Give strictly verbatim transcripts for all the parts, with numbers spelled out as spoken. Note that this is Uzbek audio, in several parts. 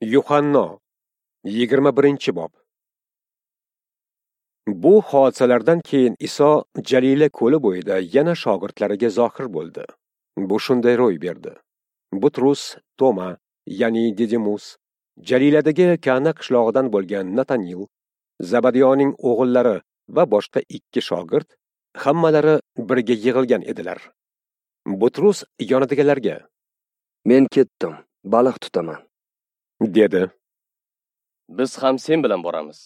Yuhanno, yigirma birinchi bob. Bu hodisalardan keyin Iso Jalila ko'li bo'yida yana shogirdlariga zohir bo'ldi. Bu shunday ro'y berdi. Butrus, Toma, ya'ni Didimus, Jaliladagi Kana qishlog'idan bo'lgan Natanil, Zabadiyoning o'g'illari va boshqa ikki shogird hammalari birga yig'ilgan edilar. Butrus yonidagilarga: "Men ketdim, baliq tutaman", dedi. "Biz ham sen bilan boramiz",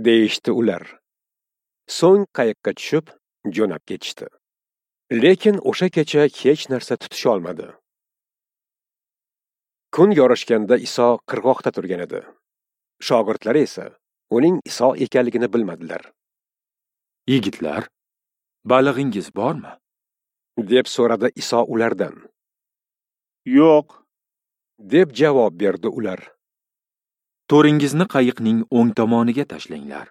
deyishdi ular. So'ng qayiqqa tushib, jo'nab ketishdi. Lekin o'sha kecha hech narsa tutisha olmadi. Kun yorishganda Iso qirg'oqda turgan edi. Shogirdlari esa uning Iso ekanligini bilmadilar. "Yigitlar, balig'ingiz bormi?" deb so'radi Iso ulardan. "Yo'q", deb javob berdi ular. "To'ringizni qayiqning o'ng tomoniga tashlanglar.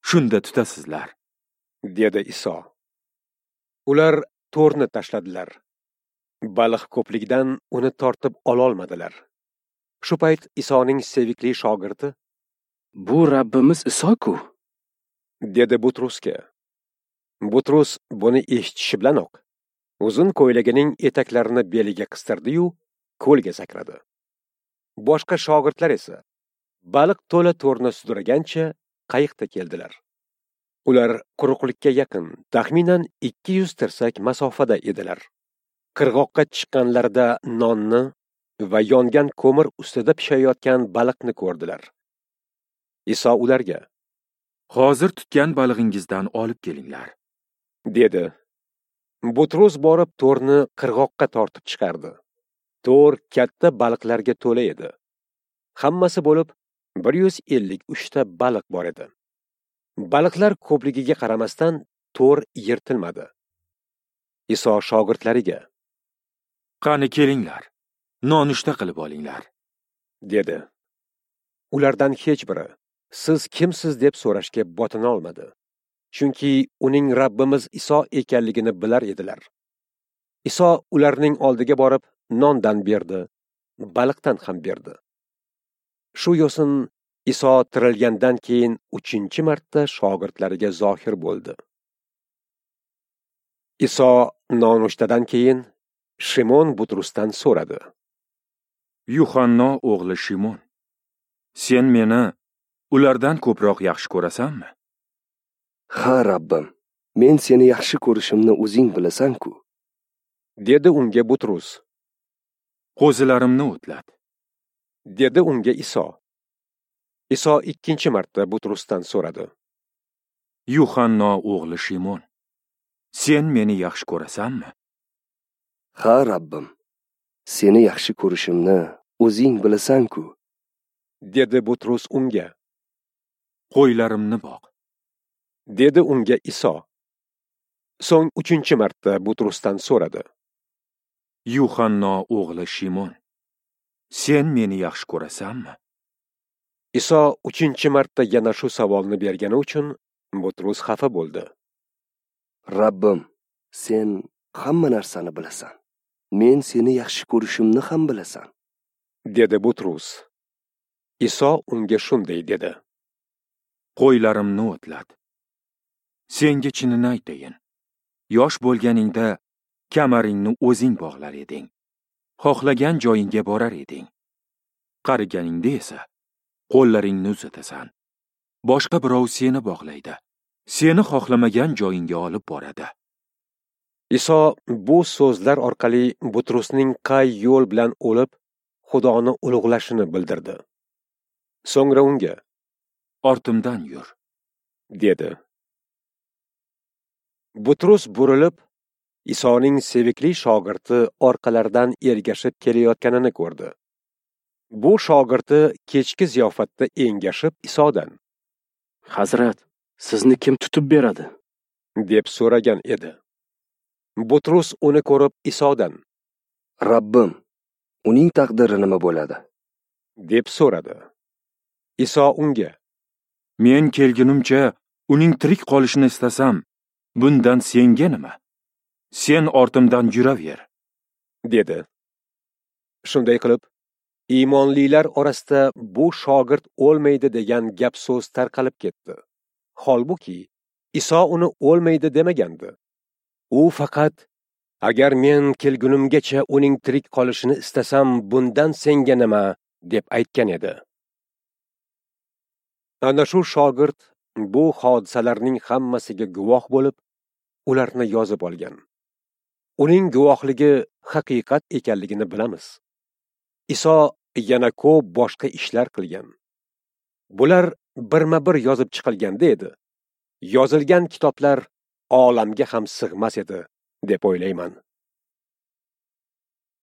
Shunda tutasizlar", dedi Iso. Ular to'rni tashladilar. Baliq ko'pligidan uni tortib ololmadilar. Shu payt Isoning sevikli shogirdi: "Bu Rabbimiz Iso-ku", dedi Butrusga. Butrus buni eshitishi bilanoq uzun ko'ylagining etaklarini beliga qistirdi-yu, ko'lga sakradi. Boshqa shogirdlar esa baliq to'la to'rni sudragancha qayiqda keldilar. Ular quruqlikka yaqin, taxminan ikki yuz tirsak masofada edilar. Qirg'oqqa chiqqanlarida nonni va yongan ko'mir ustida pishayotgan baliqni ko'rdilar. Iso ularga: "Hozir tutgan balig'ingizdan olib kelinglar", dedi. Butrus borib to'rni qirg'oqqa tortib chiqardi. To'r katta baliqlarga to'la edi. Hammasi bo'lib bir yuz ellik uchta baliq bor edi. Baliqlar ko'pligiga qaramasdan to'r yirtilmadi. Iso shogirdlariga: "Qani kelinglar, nonushta qilib olinglar", dedi. Ulardan hech biri "Siz kimsiz?" deb so'rashga botina olmadi. Chunki uning Rabbimiz Iso ekanligini bilar edilar. Iso ularning oldiga borib nondan berdi, baliqdan ham berdi. Shu yo'sin Iso tirilgandan keyin uchinchi marta shogirdlariga zohir bo'ldi. Iso nonushtadan keyin Shimon Butrusdan so'radi: "Yuhanno o'g'li Shimon, sen meni ulardan ko'proq yaxshi ko'rasanmi?" "Ha, Rabbim, men seni yaxshi ko'rishimni o'zing bilasan-ku", dedi unga Butrus. "Qo'zilarimni o'tlat", dedi unga Iso. Iso ikkinchi marta Butrusdan so'radi: "Yuhanno o'g'li Shimon, sen meni yaxshi ko'rasanmi?" "Ha, Rabbim, seni yaxshi ko'rishimni o'zing bilasan-ku", dedi Butrus unga. "Qo'ylarimni boq", dedi unga Iso. So'ng uchinchi marta Butrusdan so'radi: "Yuhanno o'g'li Shimon, sen meni yaxshi ko'rasanmi?" Iso uchinchi marta yana shu savolni bergani uchun Butrus xafa bo'ldi. "Rabbim, sen hamma narsani bilasan. Men seni yaxshi ko'rishimni ham bilasan", dedi Butrus. Iso unga shunday dedi: "Qo'ylarimni o'tlat. Senga chinini aytayin, yosh bo'lganingda kamaringni o'zing bog'lar eding, xohlagan joyingga borar eding. Qariganingda esa qo'llaringni uzatasan. Boshqa birov seni bog'laydi, seni xohlamagan joyingga olib boradi." Iso bu so'zlar orqali Butrusning qay yo'l bilan o'lib, Xudoni ulug'lashini bildirdi. So'ngra unga: "Ortimdan yur", dedi. Butrus burilib, Isoning sevikli shogirdi orqalaridan ergashib kelayotganini ko'rdi. Bu shogirdi kechki ziyofatda engashib Isodan: "Hazrat, sizni kim tutib beradi?" deb so'ragan edi. Butrus uni ko'rib Isodan: "Rabbim, uning taqdiri nima bo'ladi?" deb so'radi. Iso unga: "Men kelgunimcha uning tirik qolishini istasam, bundan senga nima? Sen ortimdan yuraver", dedi. Shunday qilib, Iymonlilar orasida bu shogird o'lmaydi degan gap so'z tarqalib ketdi. Holbuki Iso uni o'lmaydi demagandi. U faqat agar men kelgunimgacha uning tirik qolishini istasam, bundan senga nima deb aytgan edi. Ana shu shogird bu hodisalarning hammasiga guvoh bo'lib, ularni yozib olgan. Uning guvohligi haqiqat ekanligini bilamiz. Iso yana ko'p boshqa ishlar qilgan. Bular birma-bir yozib chiqilganda edi. Yozilgan kitoblar olamga ham sig'mas edi, deb o'ylayman.